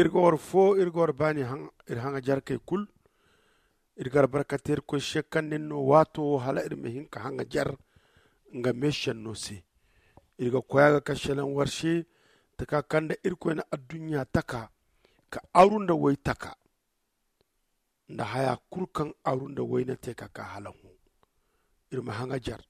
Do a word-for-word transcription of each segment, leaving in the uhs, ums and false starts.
Iri ga war foo iri ga war baani iri haŋajarkey kul. Iri ga albarkante irkoy se kaŋ nin no waato wo hala iri ma hin ka haŋajar nga meesenno se. Iri ga koy a ga ka selaŋ war se taka kaŋ nda irkoy na adduɲɲa taka ka aru nda woy taka nda haya kulu kaŋ aru nda woy na te ka ka hala hõ. Iri ma haŋajar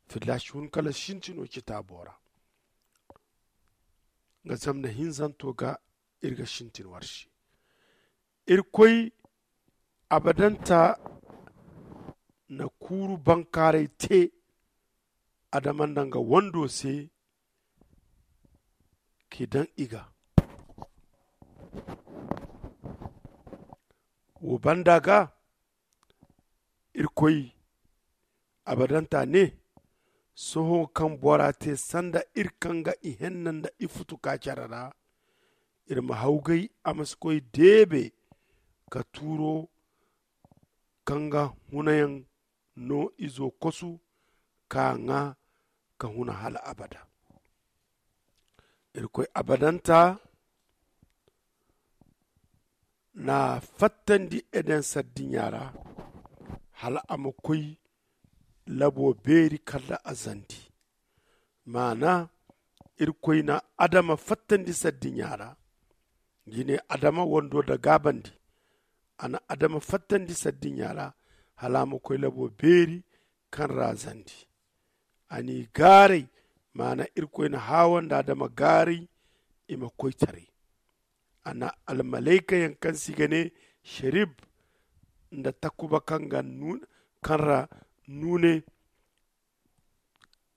fillaasi hun kala sintino citaabo ra. Nga zama nda hinzanto ga iri ga sintin war se. Irkoy abadanta na kuuru bankaaray te adama nda nga wando se k'i daŋ i ga. Wo banda ga irkoy abadanta ne, sohõ kaŋ bora te sanda iri kaŋ ga ihenna nda ifutu ka care ra, iri ma hawgay a ma si koy deebe ka tuuro kaŋ ga hunayaŋ no izo kosu ka ŋwa ka huna hala abada. Irkoy abadanta na fattandi eden sardiɲa ra hala a ma koy labo beeri kala a zandi. Maana irkoy na adama fattandi sardiɲa ra. Jine adama wando nda gaabandi a na adama fattandi sardiɲa ra hala a ma koy labo beeri kaŋ ra a zandi. A n'i gaaray maana irkoy na haawa nda adama gaaray i ma koy taray. A na almalayka yaŋ kaŋ se i ga ne serib nda takuba kaŋ ga kaŋ ra nuune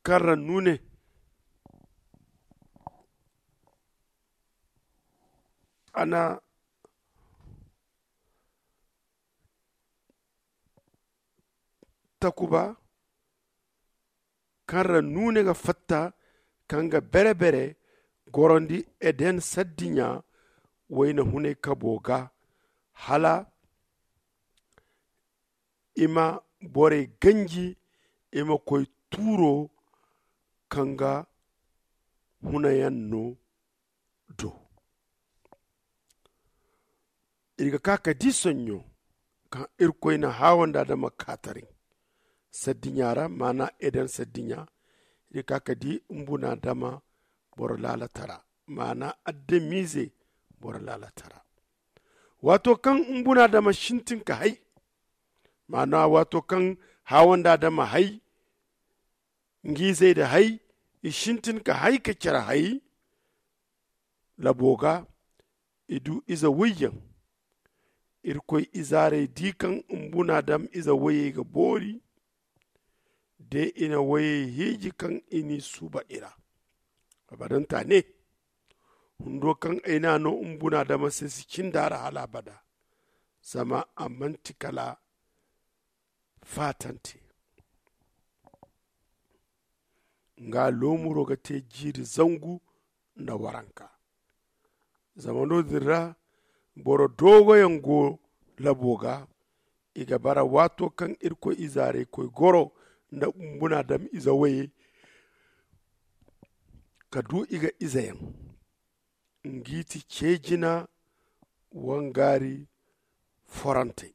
kaŋ ra nuune a na takuba kaŋ ra nuune ga fatta kaŋ ga bere-bere gorondi eden sardiɲa wayna hunay kabo ga hala i ma borey ganji i ma koy tuuro kaŋ ga hunayaŋ no do. Iri ga ka ka di soɲɲo kaŋ irkoy na haawa nda adama kaataray sardiɲa ra maana eden sardiɲa. Iri ga ka ka di mbuna adama boro laalatara maana adamize boro laalatara. Waato kaŋ mbuna adama sintin ka hay maana waato kaŋ haawa nda adama hay ngi izey da hay i sintin ka hay ka care hay labo ga i du ize woyyaŋ. Irkoy izaarey di kaŋ mbuna dam ize woyey ga boori de i na woyey hiiji kaŋ i n'i suuba i ra. Abadanta ne hundo kaŋ ay n'a no mbuna dama se si cinda ra hala abada. Zama a manti kala faatante nga loomuro ga te jiiri zangu nda waranka. Zama no- din ra boro doogoyaŋ go labo ga i ga bara waato kaŋ irkoy izaarey koy goro nda mbuna dam ize woyey ka du i ga izeyaŋ ngi ti ceejina wangaari forantey.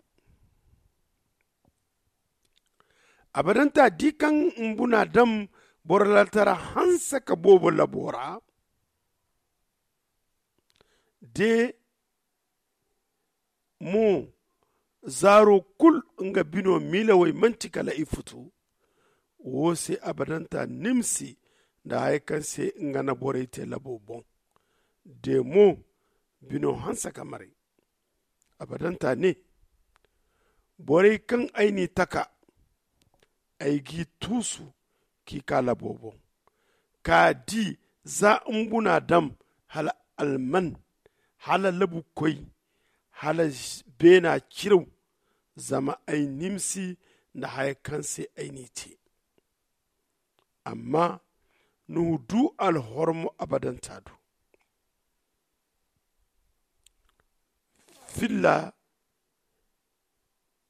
Abadanta di kaŋ mbuna dam boro laltara hanse ka boobo labo ra de mo zaaro kulu nga bino miilawey manti kala i futu. Wo se abadanta nimsi nda haya kaŋ se nga na borey te labo boŋ de mo bino hanse ka maray. Abadanta ne borey kaŋ ay n'i taka ay g'i tuusu k'i ka labo boŋ ka di za mbuna dam hala alman hala labu koy hala beena ciraw. Zama ay nimsi nda haya kaŋ se ay n'i te. Amma nuhu du alhormo abadanta do. Filla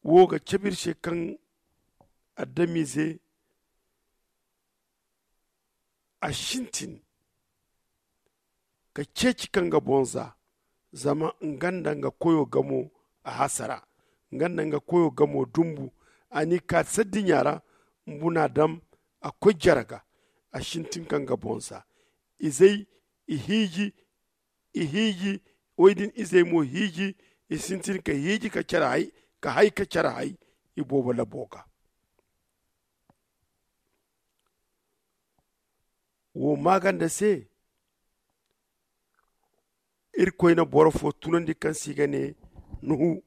wo ga cabe iri se kaŋ adamize a sintin ka ceeci kaŋ ga boŋ za Zama nga nda nga koyo gamo a hasara, nga nda nga koyo gamo dumbu. A n'i kaati saddiɲa ra. Mbuna dam a koy jere ga. A sintin ka nga boŋ za. Izey i hiiji. I hiiji. Woy din izey mo hiiji. I sintin ka hiiji ka care hay ka hay ka care hay. I boobo labo ga. Wo maaganda se irkoy na boro fo tunandi kaŋ se i ga ne nuhu.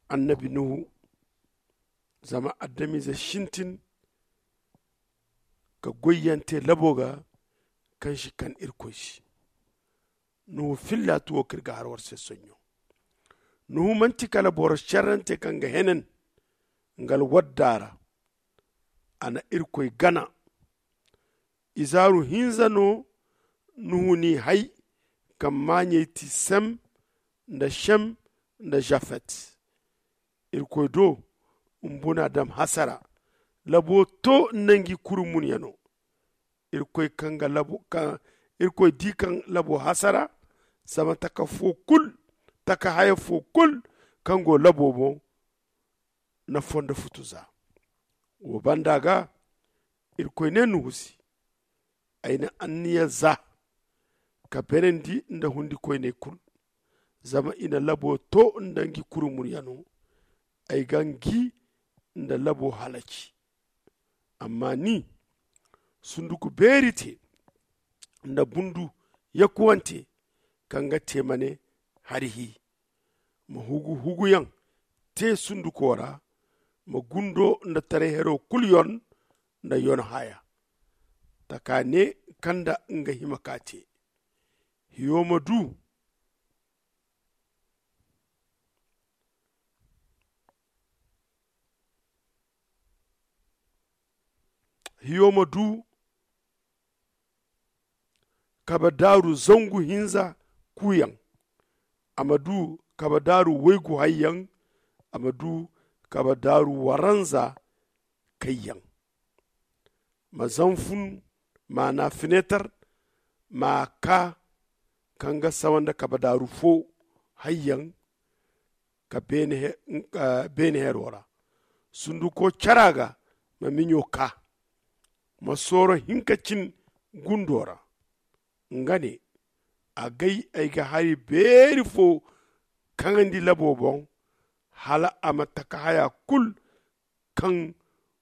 Annabi nuhu. Zama adamize sintin ka goyyaŋ te labo ga kaŋ si kan irkoy se. Nuhu filla ti wo kaŋ iri ga har war se soɲɲo. Nuhu manti kala boro serrante kaŋ ga henen nga alwadda ra. A na irkoy gana. Izaaru hinza no nuhu n'i hay. Kaŋ maaɲey ti sem nda sem nda zafet. Irkoy do mbuna dam hasara. Labo to nda ngi kuri munyano. Irkoy kaŋ ga labo kaŋ irkoy di kaŋ labo hasara. Zama taka fo kulu taka haya fo kulu kaŋ go labo boŋ na fondo futu za. Wo banda ga irkoy ne nuhu se ay na anniya za ka berandi nda hundikoyney kulu. Zama i na labo to nda ngi kurumuryano. Ay ga ngi nda labo halaci. Amma ni sunduku beeri te nda bundu yakuwante kaŋ ga te ma ne hari hi. Ma hugu huguyaŋ te sunduko ra. Ma gundo nda taray hero kulu yon nda yon haya. Taka ne kaŋ nda nga hima ka te hiyo ma du hiyo ma du kabe daaru zangu hinza kuuyaŋ. A ma du kabe daaru waygu hayyaŋ. A ma du kabe daaru waranza kayyaŋ. Ma zanfun maana fineetar ma ka kaŋ ga sawa nda kabe daaru fo hayyaŋ. Ka beene hero ra sunduko cara ga ma miɲo ka. Ma sooro hinka cin gundo ra. Nga ne a gay ay ga hari beeri fo kaŋandi labo boŋ hala a ma taka haya kulu kaŋ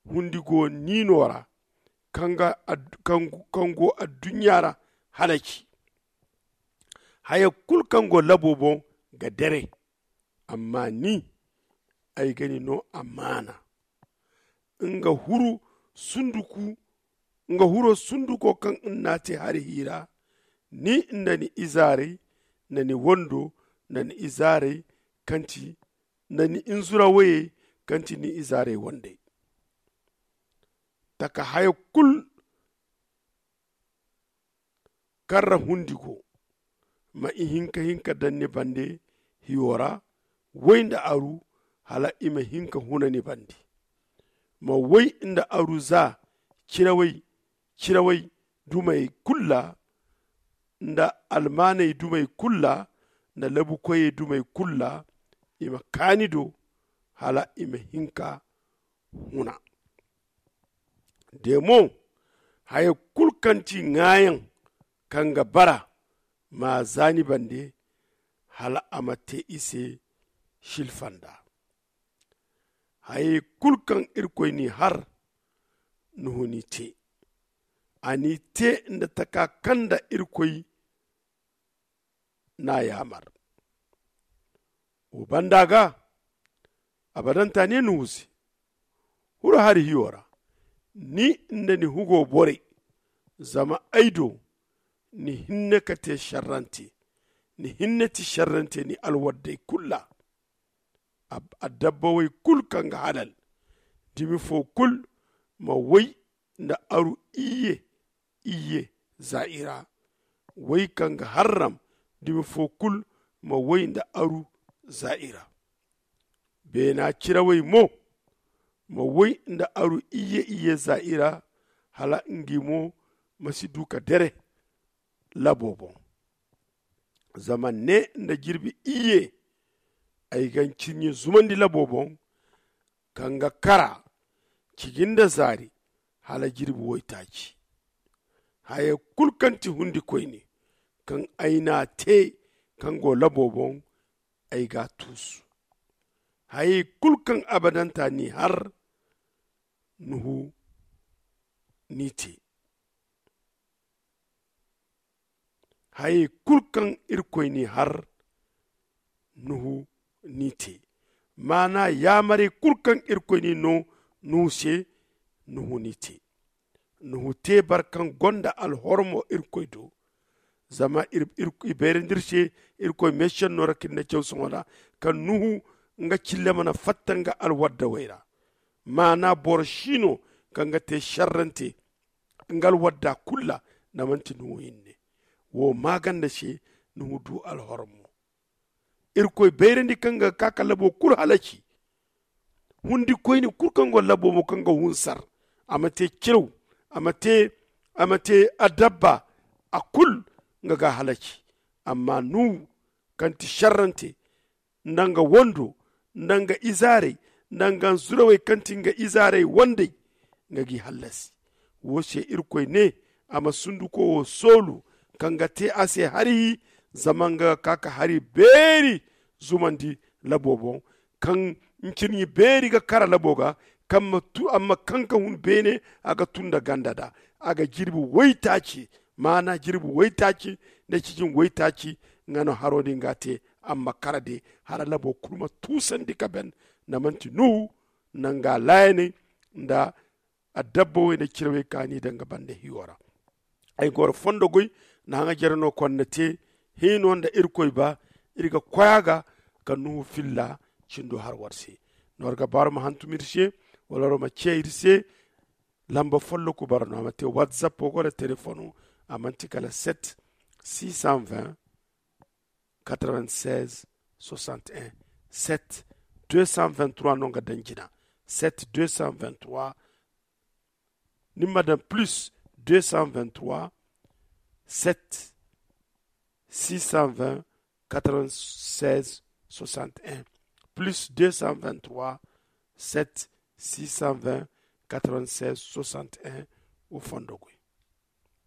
hundi go niino ra kaŋ go adduɲɲa ra halaci. Haya kulu kaŋ go labo boŋ ga dere. Amma ni ay ga ni no amaana. Nga huru sunduku nga huro sunduko kaŋ iri n'a te hari hiira. Ni nda ni izaarey nda ni wando nda ni izaarey kaŋ ti nda ni inzurawayey kaŋ ti ni izaarey wandey. Taka haya kulu kaŋ ra hundi go ma i hinka hinka daŋ ni bande hiyo ra. Way nda aru hala i ma hinka huna ni bande. Ma way nda aru za cirawey cirawey dumey kulu ra nda almaaney dumey kulu ra nda labukoyey dumey kulu ra. I ma kaani do hala i ma hinka huna. De mo haya kulu kaŋ ti ŋaayaŋ kaŋ ga bara ma za ni bande hala a ma te i se silfanda. Hayey kulu kaŋ irkoy n'i har nuhu n'i te. A n'i te nda taka kaŋ nda irkoy n'a yaamar. Wo banda ga abadanta ne nuhu se. Huru hari hiyo ra ni nda ni hugo borey. Zama ay do ni hinne ka te šerrante. Ni hinne ti šerrante ni alwaddey kulu ra. Adabba way kulu kaŋ ga halal dumi fo kulu ma way nda aru iyye iyye za i ra. Way kaŋ ga harram dumi fo kulu ma way nda aru za i ra. Beena cirawey mo ma way nda aru iyye iyye za i ra hala ngi mo ma si du ka dere labo boŋ. Zama ne nda jirbi iyye ay ga ncirɲi zumandi labo boŋ, kaŋ ga kara ciji nda zaari hala jirbi woytaaci. Hayey kulu kaŋ ti hundi koyne kaŋ ay n'a te kaŋ go labo boŋ, ay g'a tuusu. Hayey kulu kaŋ abadanta n'i har, nuhu n'i te. Hayey kulu kaŋ irkoy n'i har, nuhu n'i te. Maana yaamarey kulu kaŋ irkoy n'i no nuhu se, nuhu n'i te. Nuhu te boro kaŋ gonda alhormo irkoy do. Zama i bayrandi iri se irkoy meesenno ra ka iri ne caw sohõ ra, kaŋ nuhu nga cille mana fatta nga alwaddawey ra. Maana boro si no kaŋ ga te šerrante nga alwadda kulu ra, da manti nuhu hinne. Wo maaganda se nuhu du alhormo. Irkoy bayrandi kaŋ ga ka ka labo kulu halaci. Hundi koyne kulu kaŋ go labo mo kaŋ ga hunsar, a ma te ciraw, a ma te adabba, a kulu nga ga halaci. Amma nuhu kaŋ ti šerrante, nda nga wando, nda nga izaarey, nda nga nzurawey kaŋ ti nga izaarey wandey, nga g'i hallasi. Wo se irkoy ne, a ma sunduko wo soolu kaŋ ga te a se hari, zama nga ga ka ka hari beeri zumandi labo boŋ, kaŋ ncirɲi beeri ga kara labo ga, kaŋ ma kaŋ ka hun beene, a ga tun nda ganda da a ga jirbi waytaaci. Maana jirbi waytaaci nda cijin waytaaci, nga no haro din ga te. Amma kara de hala labo kulu ma tuusandi ka ben, na manti nuhu nda nga laayaney nda adabba wayne cirawey kaani da nga banda hiyo ra. Ay goro fondo goy na haŋa jere no konda te hino nda irkoy ba, iri ga koy a ga ka nuhu filla cindo har war se. No war ga baaru ma hantum iri se, wala war ma ce iri se. Lamba folloku bara no a ma te whatsapp go da telefono. A manti kala sept six cent vingt quatre-vingt-seize soixante-un. Sept deux cent vingt-trois no nga daŋ jina. Sept deux cent vingt-trois. Ni ma daŋ plus deux cent vingt-trois, sept six cent vingt quatre-vingt-seize soixante-un. Plus deux cent vingt-trois, sept six cent vingt quatre-vingt-seize soixante-un. Wo fondo goy.